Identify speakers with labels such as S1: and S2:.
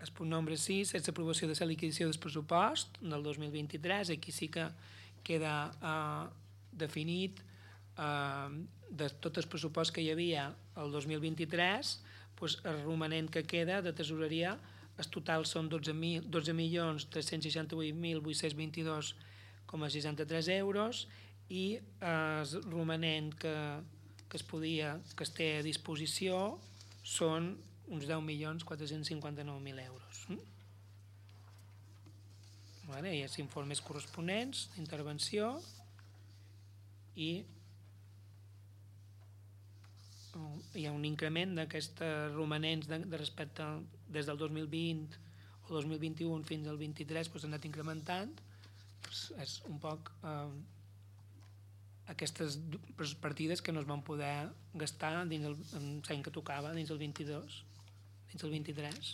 S1: El punt nombre 6 és l'aprovació de la liquidació del pressupost del 2023. Aquí sí que queda definit de tot el pressupost que hi havia el 2023, doncs el romanent que queda de tesoreria, el total són 12.368.822,63 euros i el romanent que es té a disposició són uns 10.459.000 euros. Hi ha els informes corresponents d'intervenció i hi ha un increment d'aquests romanents de respecte des del 2020 o 2021 fins al 23, s'ha anat incrementant. És un poc aquestes partides que no es van poder gastar dins l'any que tocava, dins el 22, dins el 23.